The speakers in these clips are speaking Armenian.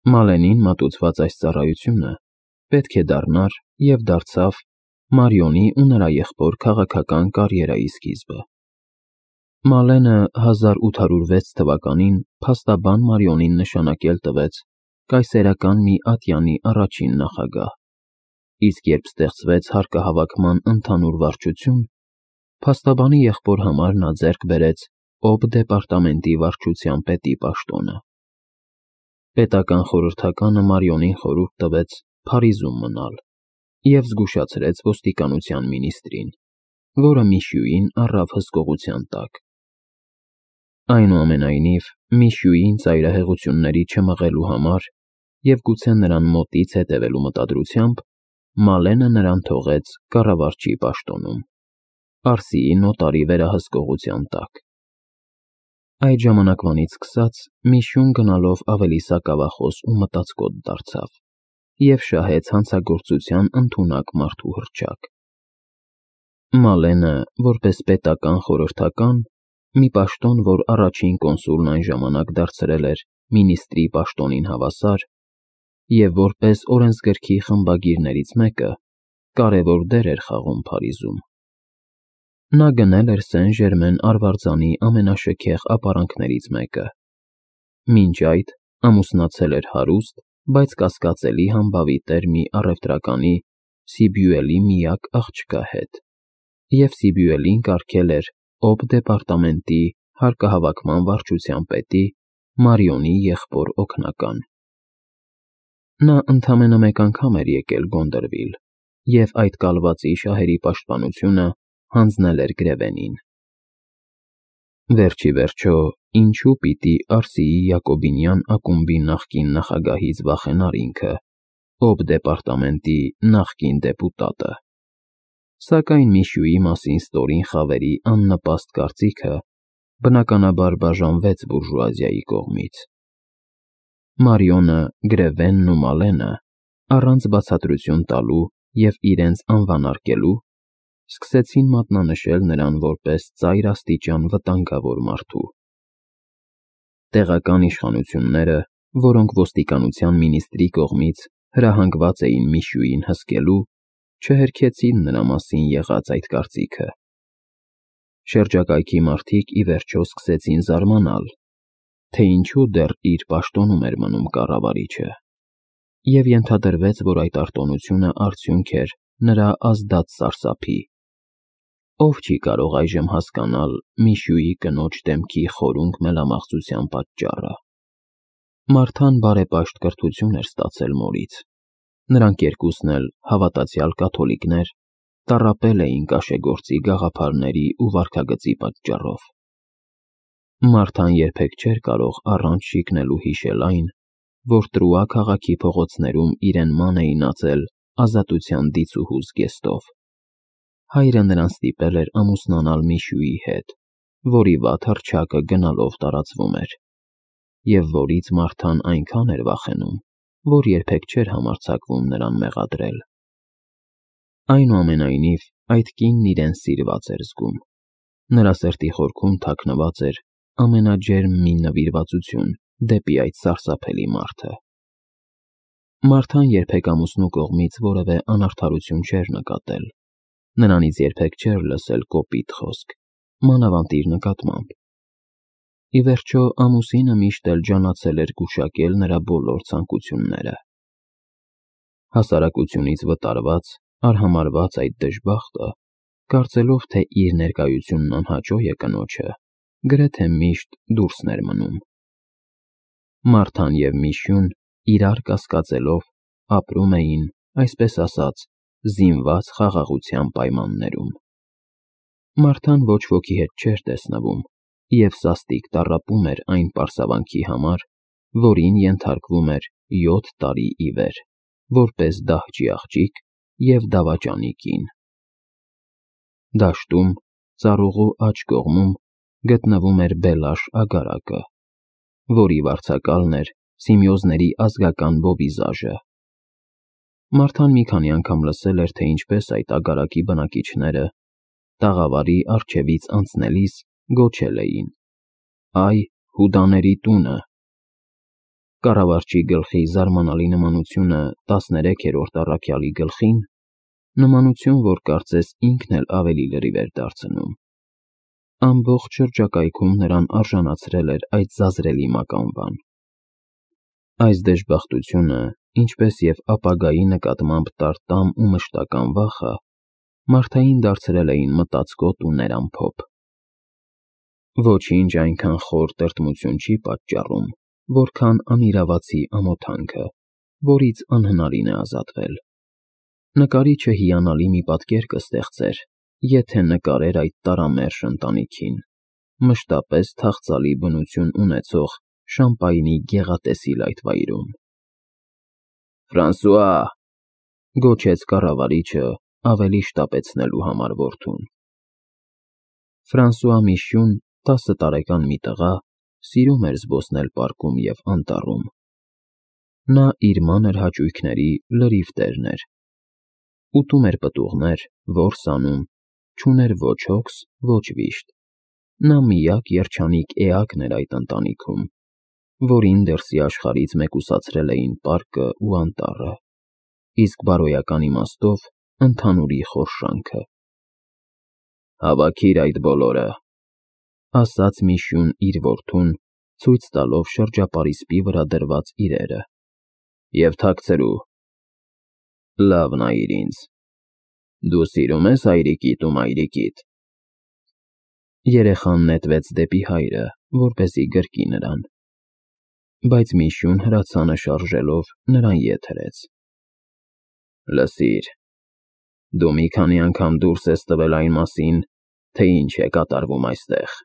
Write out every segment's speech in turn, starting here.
Մալենին մատուցված այս ծառայությունը պետք է դառնար և դարձավ Մարիոնի ու նրա եղբոր քաղաքական կարիերայի սկիզբը։ Մալենը 1806 թվականին փաստաբան Մարիոնին նշանակել տվեց կայսերական մի ատյանի առաջին նախագահ, իսկ երբ ստեղծվեց հարկահավաքման ընդհանուր վարչություն, փաստաբանի եղբոր համար նա ձեռք բերեց Օբ դեպարտամենտի վարչության պետի պաշտոնը։ Պետական խորհրդականը Մարիոնին խորհուրդ տվեց Փարիզում մնալ և զգուշացրեց ոստիկանության մինիստրին, որը Միշյուին առավ հսկողության տակ։ Այնուամենայնիվ, Միշյուին ծայրահեղությունների չմղելու համար և գուցե նրան մոտից հետևելու մտադրությամբ, Մալենը նրան թողեց կառավարչի պաշտոնում, Պարսիի նոտարի վերահսկողության տակ։ Այդ ժամանակվանից սկսած Միշյուն գնալով ավելի սակավախոս ու մտածկոտ դարձավ և շահեց հանցագործության ընդունակ մարդու հռչակ։ Մալենը, որպես պետական խորհրդական, մի պաշտոն, որ առաջին կոնսուլն այն ժամանակ դարձրել էր մինիստրի պաշտոնին հավասար, և որպես օրենսգրքի խմբագիրներից մեկը, կարևոր դեր էր խաղում Փարիզում։ Նա գնել էր Սեն Ժերմեն արվարձանի ամենաշքեղ ապարանքներից մեկը։ Մինչ այդ ամուսնացել էր հարուստ, բայց կասկածելի համբավի տեր մի առևտրականի Սիբյուելի միակ աղջկա հետ, և Սիբյուելին կարգել էր Օբ դեպարտամենտի հարկահավաքման վարչության պետի Մարիոնի եղբոր օգնական։ Նա ընդամենը մեկ անգամ էր եկել Գոնդրվիլ և այդ կալվածի շահերի պաշտպանությունը հանձնել էր Գրևենին։ Վերջ ի վերջո, ինչու պիտի Արսիի Յակոբինյան ակումբի նախկին նախագահից վախենար ինքը, Օբ դեպարտամենտի նախկին դեպուտատը։ Սակայն Միշյուի մասին ստորին խավերի աննպաստ կարծիքը բնականաբար բաժանվեց բուրժուազիայի կողմից։ Մարիոնը, Գրևենն ու Մալենը, առանց բացատրություն տալու և իրենց անվանարկելու, սկսեցին մատնանշել նրան որպես ծայր աստիճան վտանգավոր մարդու։ Տեղական իշխանությունները, որոնք ոստիկանության մինիստրի կողմից հրահանգված էին Միշյուին հսկելու, չհերքեցին նրա մասին եղած այդ կարծիքը։ Շրջակայքի մարդիկ ի վերջո սկսեցին զարմանալ, թե ինչու դեռ իր պաշտոնում էր մնում կառավարիչը, և ենթադրվեց, որ այդ արտոնությունը արդյունք էր նրա ազդած սարսափի։ Ով չի կարող այժմ հասկանալ Միշյուի կնոջ դեմքի խորունկ մելամաղձության պատճառը։ Մարթան բարեպաշտ կրթություն էր ստացել մորից։ Նրանք երկուսն էլ հավատացյալ կաթոլիկներ տառապել էին կաշեգործի գաղափարների ու վարքագծի պատճառով։ Մարթան երբեք չէր կարող առանց շիկնելու հիշել այն, որ Տրուա քաղաքի փողոցներում իրեն ման էին ածել ազատության դիցուհու զգեստով։ Հայրը նրան ստիպել էր ամուսնանալ Միշյուի հետ, որի վատ հռչակը գնալով տարածվում էր, և որից Մարթան այնքան էր վախենում, որ երբեք չէր համարձակվում նրան մեղադրել։ Այնուամենայնիվ, այդ կինն իրեն սիրված էր զգում։ Նրա սրտի խորքում թաքնված էր ամենաջերմ մի նվիրվածություն դեպի այդ սարսափելի մարդը։ Մարթան երբեք ամուսնու կողմից որևէ անարդարություն չէր նկատել։ Նրանից երբեք չէր լսել կոպիտ խոսք, մանավանդ իր նկատմամբ։ Ի վերջո, ամուսինը միշտ էլ ջանացել էր գուշակել նրա բոլոր ցանկությունները։ Հասարակությունից վտարված, արհամարհված այդ դժբախտը, կարծելով, թե իր ներկայությունն անհաճո է կնոջը, գրեթե միշտ դուրսն էր մնում։ Մարթան և Միշյուն, իրար կասկածելով, ապրում էին, այսպես ասած, զինված խաղաղության պայմաններում։ Մարթան ոչ ոքի հետ չէր տեսնվում և սաստիկ տառապում էր այն պարսավանքի համար, որին ենթարկվում էր 7 տարի ի վեր, որպես դահճի աղջիկ և դավաճանի կին։ Դաշտում, ծառուղու աջ կողմում, գտնվում էր Բելաշ ագարակը, որի վարձակալն էր Սիմեոզների ազգական բովիզաժը։ Մարթան մի քանի անգամ լսել էր, թե ինչպես այդ ագարակի բնակիչները տաղավարի առջևից անցնելիս գոչել էին. «Այ, Հուդաների տունը»։ Կառավարչի գլխի զարմանալի նմանությունը 13-րդ առաքյալի գլխին, նմանություն, որ կարծես ինքն էլ ավելի լրիվ էր դարձնում, ամբողջ շրջակայքում նրան արժանացրել էր այդ զազրելի մականվան։ Այս դժբախտությունը, ինչպես և ապագայի նկատմամբ տարտամ ու մշտական վախը, մարդային դարձրել էին մտածկոտ ու ներամփոփ։ Ոչինչ այնքան խոր տրտմություն չի պատճառում, որքան անիրավացի ամոթանքը, որից անհնարին է ազատվել։ Նկարիչը հիանալի մի պատկեր կստեղծեր, եթե նկարեր այդ տարամերժ ընտանիքին, մշտապես թախծալի բնություն ունեցող Շամպայնի գեղատեսիլ այդ վայրում։ «Ֆրանսուଆ», գոչեց կառավարիչը, ավելի շտապեցնելու համար որդուն։ Ֆրանսուଆ Միշյուն, 10 տարեկան մի տղա, սիրում էր զբոսնել պարկում և անտառում։ Նա իր մանր հաճույքների լրիվ տերն էր։ Ուտում էր պտուղներ, որս անում, չուներ ոչ հոգս, ոչ վիշտ։ Նա միակ երջանիկ էակն էր այդ ընտանիքում, որին դրսի աշխարհից մեկուսացրել էին պարկը ու անտառը, իսկ բարոյական իմաստով ընդհանուրի խորշանքը։ «Հավաքիր այդ բոլորը», ասաց Միշյուն իր որդուն, ցույց տալով շրջապարիսպի վրա դրված իրերը, «և թաքցրու։ Լավ նայիր ինձ։ Դու սիրում ես հայրիկիդ ու մայրիկիդ»։ Երեխան նետվեց դեպի հայրը, որպեսզի գրկի նրան, բայց Միշյուն հրացանը շարժելով նրան ետ հրեց։ «Լսիր, դու մի քանի անգամ դուրս ես տվել այն մասին, թե ինչ է կատարվում այստեղ»,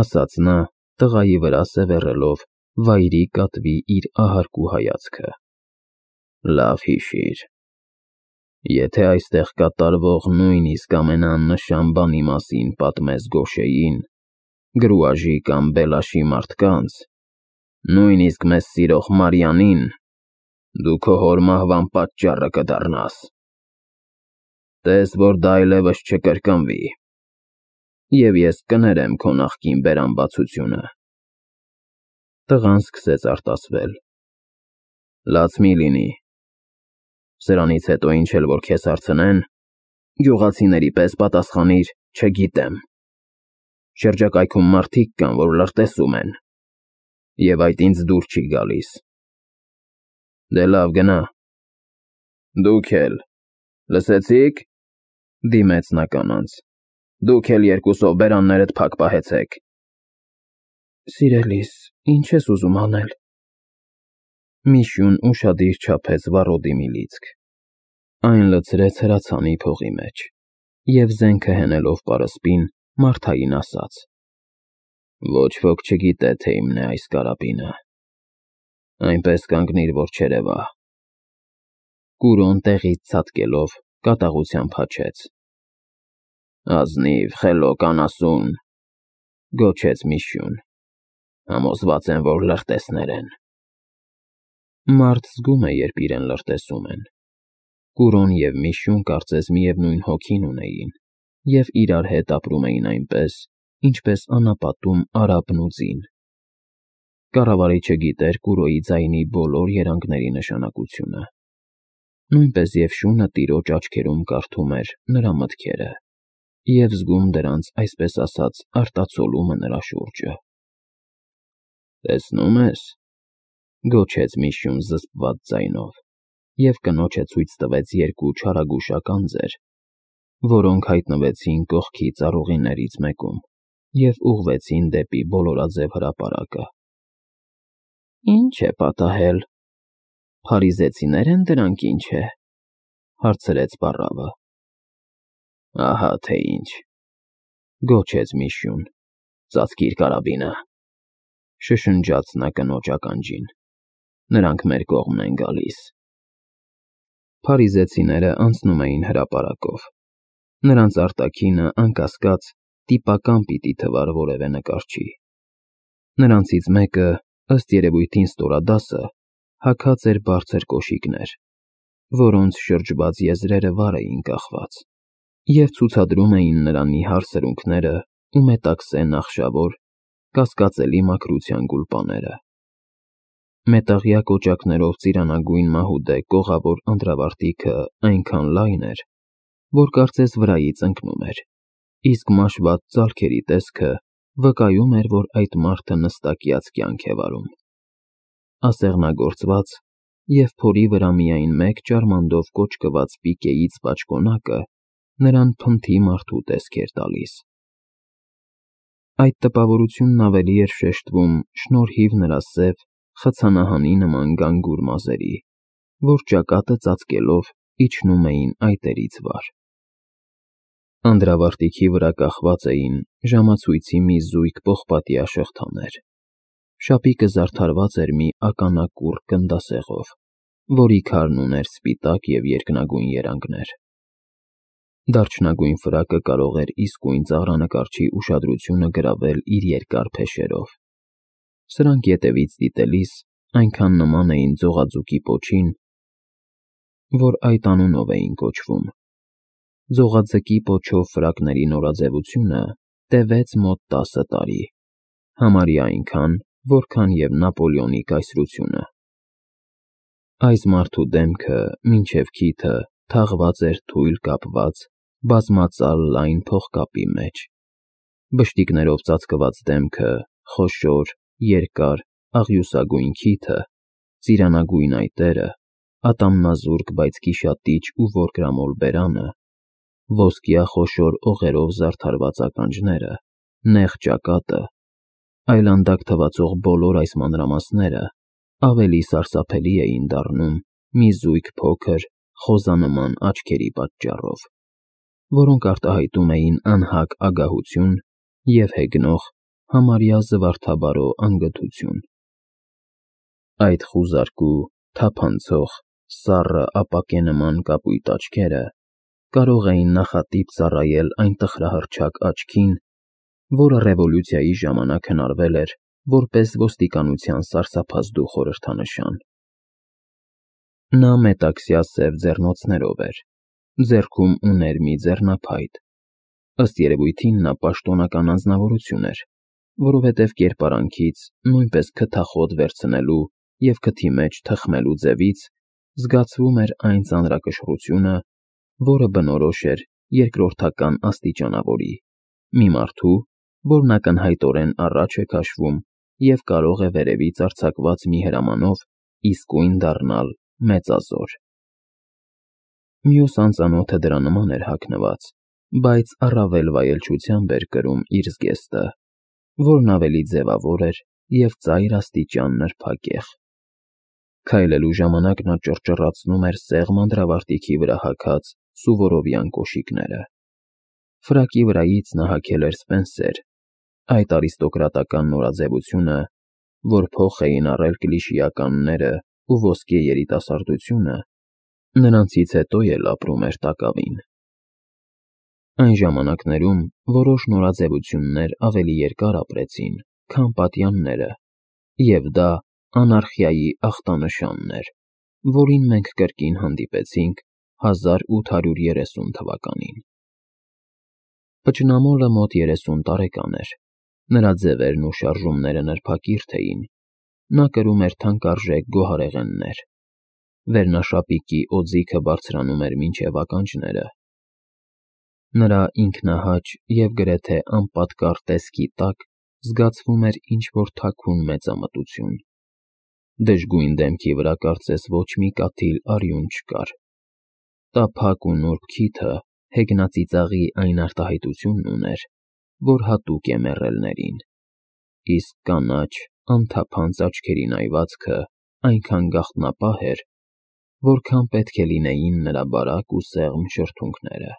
ասաց նա, տղայի վրա սևեռելով վայրի կատվի իր ահարկու հայացքը։ «Լավ հիշիր, եթե այստեղ կատարվող նույնիսկ ամենաաննշան բանի մասին պատմես Գոշեին, Գրուաժի կամ Բելաշի մարդկանց, նույնիսկ մեզ սիրող Մարիանին, դու քո հոր մահվան պատճառը կդառնաս։ Տես, որ դա այլևս չկրկնվի, և ես կներեմ քո նախկին բերանբացությունը»։ Տղան սկսեց արտասվել։ «Լաց մի լինի։ Սրանից հետո ինչ էլ որ քեզ հարցնեն, գյուղացիների պես պատասխանիր՝ չգիտեմ։ Շրջակայքում մարդիկ կան, որ լրտեսում են, և այդ ինձ դուր չի գալիս։ Դե լավ, գնա։ Դուք էլ, լսեցի՞ք», դիմեց նա կանանց, «դուք էլ երկուսով բերաններդ փակ պահեցեք»։ «Սիրելիս, ինչ ես ուզում անել»։ Միշյուն ուշադիր չափեց վառոդի մի լիցք, այն լցրեց հրացանի փողի մեջ և զենքը հենելով պարսպին, մարդային ասաց. «Ոչ ոք չգիտե, թե իմն է այս կարաբինը։ Այնպես կանգնիր, որ չերևա»։ Կուրոն տեղից ցատկելով կատաղությամբ հաչեց։ «Ազնիվ, խելոք, անասուն», գոչեց Միշյուն, «համոզված եմ, որ լրտեսներ են»։ Մարդ զգում է, երբ իրեն լրտեսում են։ Կուրոն և Միշյուն կարծես միևնույն հոգին ունեին և իրար հետ ապրում էին այնպես, ինչպես անապատում արաբն ու ձին։ Կառավարիչը գիտեր Կուրոյի ձայնի բոլոր երանգների նշանակությունը, նույնպես և շունը տիրոջ աչքերում կարդում էր նրա մտքերը և զգում դրանց, այսպես ասած, արտացոլումը նրա շուրջը։ «Տեսնում ես», գոչեց Միշյուն զսպված ձայնով, և կնոջը ցույց տվեց երկու չարագուշակ անձեր, որոնք հայտնվեցին կողքի ծառուղիներից մեկում և ուղղվեցին դեպի բոլորաձև հրապարակը։ «Ի՞նչ է պատահել, փարիզեցիներ են դրանք, ինչ է», հարցրեց պառավը։ «Ահա թե ինչ», գոչեց Միշյուն, «ծածկիր կարաբինը», շշնջաց նա կնոջ ականջին, «նրանք մեր կողմն են գալիս»։ Փարիզեցիները անցնում էին հրապարակով։ Նրանց արտաքինը, անկասկած, տիպական պիտի թվար որևէ նկարչի։ Նրանցից մեկը, ըստ երևույթին ստորադասը, հագած էր բարձր կոշիկներ, որոնց շրջված եզրերը վար էին կախված, և ցուցադրում էին նրա նիհար սրունքները ու մետաքսե նախշավոր, կասկածելի մաքրության գուլպաները։ Մետաղյա կոճակներով ծիրանագույն մահուդե կողավոր անդրավարտիքը այնքան լայն էր, որ կարծես վրայից ընկնում էր, իսկ մաշված ծալքերի տեսքը վկայում էր, որ այդ մարդը նստակյաց կյանք է վարում։ Ասեղնագործված և փորի վրա միայն մեկ ճարմանդով կոճկված պիկեից բաճկոնակը նրան փնթի մարդու տեսք էր տալիս։ Այդ տպավորությունն ավելի էր շեշտվում շնորհիվ նրա սև, խցանահանի նման գանգուր մազերի, որ ճակատը ծածկելով իջնում էին այտերից վար։ Անդրավարտիքի վրա կախված էին ժամացույցի մի զույգ պողպատյա շղթաներ։ Շապիկը զարդարված էր մի ականակուռ գնդասեղով, որի քարն ուներ սպիտակ և երկնագույն երանգներ։ Դարչնագույն ֆրակը կարող էր իսկույն ծաղրանկարչի ուշադրությունը գրավել իր երկար փեշերով։ Սրանք ետևից դիտելիս այնքան նման էին ձողաձուկի պոչին, որ այդ անունով էին կոչվում։ Ձողաձկի պոչով ֆրակների նորաձևությունը տևեց մոտ 10 տարի, համարյա այնքան, որքան և Նապոլեոնի կայսրությունը։ Այս մարդու դեմքը մինչև քիթը թաղված էր թույլ կապված, բազմածալ լայն փողկապի մեջ։ Բշտիկներով ծածկված դեմքը, խոշոր, երկար, աղյուսագույն քիթը, ծիրանագույն այտերը, ատամնազուրկ, բայց գիշատիչ ու որկրամոլ բերանը, ոսկյա խոշոր օղերով զարդարված ականջները, նեղ ճակատը, այլանդակ թվացող բոլոր այս մանրամասները ավելի սարսափելի էին դառնում մի զույգ փոքր, խոզանման աչքերի պատճառով, որոնք արտահայտում էին անհագ ագահություն և հեգնող, համարյա զվարթաբարո անգթություն։ Այդ խուզարկու, թափանցող, սառը ապակենման կապույտ աչքերը կարող էին նախատիպ ծառայել այն տխրահռչակ աչքին, որը ռևոլյուցիայի ժամանակ հնարվել էր որպես ոստիկանության սարսափազդու խորհրդանշան։ Նա մետաքսյա սև ձեռնոցներով էր, ձեռքում ուներ մի ձեռնափայտ։ Ըստ երևույթին նա պաշտոնական անձնավորություն էր, որովհետև կերպարանքից, նույնպես քթախոտ վերցնելու և քթի մեջ թխմելու ձևից զգացվում էր այն ծանրակշռությունը, որը բնորոշ էր երկրորդական աստիճանավորի, մի մարդու, որն ակնհայտորեն առաջ է քաշվում և կարող է վերևից արձակված մի հրամանով իսկույն դառնալ մեծազոր։ Մյուս անծանոթը դրա նման էր հագնված, բայց առավել վայելչությամբ էր կրում իր զգեստը, որն ավելի ձևավոր էր և ծայր աստիճան նրբագեղ։ Քայլելու ժամանակ նա ճռճռացնում էր սեղմ անդրավարտիքի վրա հագած սուվորովյան կոշիկները։ Ֆրակի վրայից նա հագել էր սպենսեր, այդ արիստոկրատական նորաձևությունը, որ փոխ էին առել կլիշեականները ու ոսկե երիտասարդությունը, նրանցից հետո էլ ապրում էր տակավին։ Այն ժամանակներում որոշ նորաձևություններ ավելի երկար ապրեցին, քան պատյանները, և դա անարխիայի ախտանշանն էր, որին մենք կրկին հանդիպեցինք 1830 թվականին։ Պճնամոլը մոտ 30 տարեկան էր, նրա ձևերն ու շարժումները նրբակիրթ էին, նա կրում էր թանկարժեք գոհարեղեններ, վերնաշապիկի օձիքը բարձրանում էր մինչև ականջները։ Նրա ինքնահաճ և գրեթե անպատկառ տեսքի տակ զգացվում էր ինչ-որ թաքուն մեծամտություն։ Դժգույն դեմքի վրա կարծես ոչ մի կաթիլ արյուն չկար։ Տափակ ու նուրբ քիթը հեգնածիծաղի այն արտահայտությունն ուներ, որ հատուկ է մեռելներին, իսկ կանաչ, անթափանց աչքերի նայվածքը այնքան գաղտնապահ էր, որքան պետք է լինեին նրա բարակ ու սեղմ շրթունքները։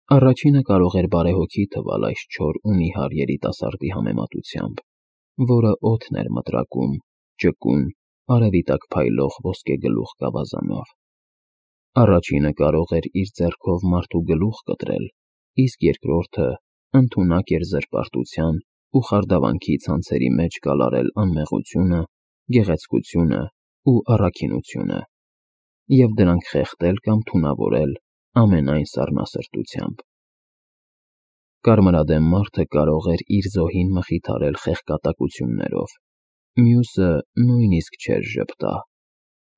Առաջինը կարող էր բարեհոգի թվալ այս չոր ու նիհար երիտասարդի համեմատությամբ, որը օդն էր մտրակում ճկուն, արևի տակ փայլող ոսկեգլուխ գավազանով։ Առաջինը կարող էր իր ձեռքով մարդու գլուխ կտրել, իսկ երկրորդը ընդունակ էր զրպարտության ու խարդավանքի ցանցերի մեջ կալարել անմեղությունը, գեղեցկությունը ու առաքինությունը և դրանք խեղդել կամ թունավորել ամենայն սառնասրտությամբ։ Կարմրադեմ մարդը կարող էր իր զոհին մխիթարել խեղկատակություններով, Մյուսը նույնիսկ չէր ժպտա։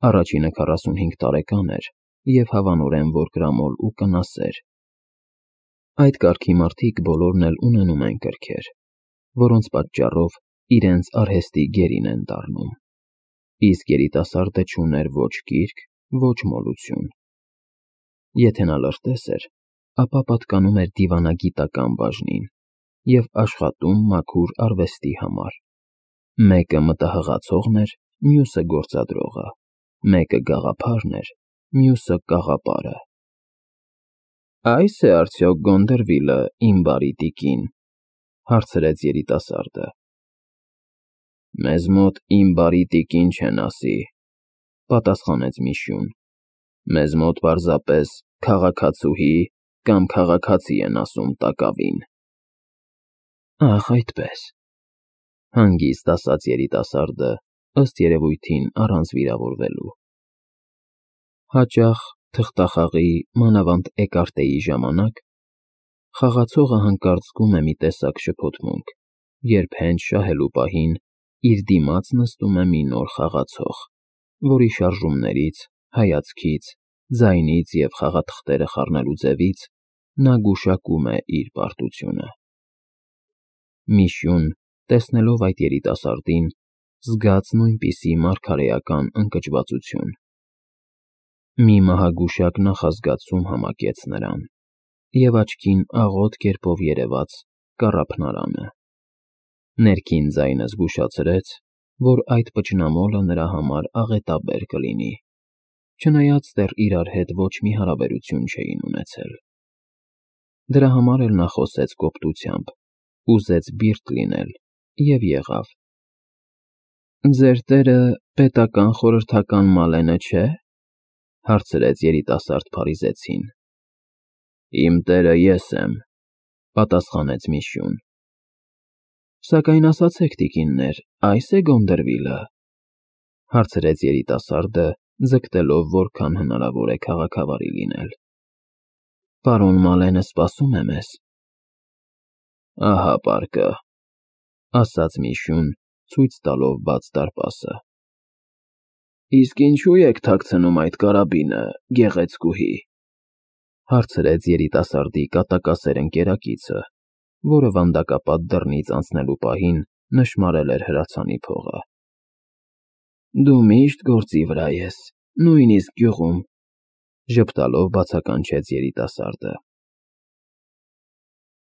Առաջինը 45 տարեկան էր և հավանորեն որ կրամոլ ու կնասեր։ Այդ կարգի մարդիկ բոլորն էլ ունենում են կրքեր, որոնց պատճառով իրենց արհեստի գերին են դառնում։ Իսկ երիտասարդը չուներ ոչ կիրք, ոչ մոլություն։ Եթե նա լրտես էր, ապա պատկանում էր դիվանագիտական բաժնին և աշխատում մաքուր արվեստի համար։ Մեկը մտահղացողն էր, մյուսը գործադրողը, մեկը գաղափարն էր, մյուսը կաղապարը։ Այս է արդյոք Գոնդերվիլը, իմ բարի տիկին, հարցրեց երիտասարդը։ Մեզ մոտ իմ բարի տիկին չեն ասի, պատասխանեց Միշյուն։ Մեզ մոտ պարզապես քաղաքացուհի կամ քաղաքացի են ասում տակավին։ Ահ, այդպես, հանգիստ ասաց երիտասարդը, ըստ երևույթին առանց վիրավորվելու։ Հաճախ թղթախաղի, մանավանդ էկարտեի ժամանակ խաղացողը հանկարծ զգում է մի տեսակ շփոթմունք, երբ հենց շահելու պահին իր դիմաց նստում է մի նոր խաղացող, որի շարժումներից, հայացքից, ձայնից և խաղաթղթերը խառնելու ձևից նա գուշակում է իր պարտությունը։ Միշյուն, տեսնելով այդ երիտասարդին, զգաց նույնպիսի մարգարեական ընկճվածություն։ Մի մահագուշակ նախազգացում համակեց նրան, և աչքին աղոտ կերպով երևաց կառափնարանը։ Ներքին ձայնը զգուշացրեց, որ այդ պճնամոլը նրա համար աղետաբեր կլինի, չնայած դեռ իրար հետ ոչ մի հարաբերություն չէին ունեցել։ Դրա համար էլ նա խոսեց կոպտությամբ, ուզեց բիրտ լինել և եղավ։ Ձեր տերը պետական խորհրդական Մալենը չէ՞, հարցրեց երիտասարդ փարիզեցին։ Իմ տերը ես եմ, պատասխանեց Միշյուն։ Սակայն ասացեք, տիկիններ, այս է Գոնդերվիլը, հարցրեց երիտասարդը, ձգտելով որքան հնարավոր է քաղաքավարի լինել։ Պարոն Մալենը սպասում է մեզ։ Ահա պարկը, ասաց Միշյուն, ցույց տալով բաց դարպասը։ Իսկ ինչու եք թաքցնում այդ կարաբինը, գեղեցկուհի, հարցրեց երիտասարդի կատակասեր ընկերակիցը, որը վանդակապատ դռնից անցնելու պահին նշմարել էր հրացանի փողը։ Դու միշտ գործի վրա ես, նույնիսկ գյուղում, ժպտալով բացականչեց երիտասարդը։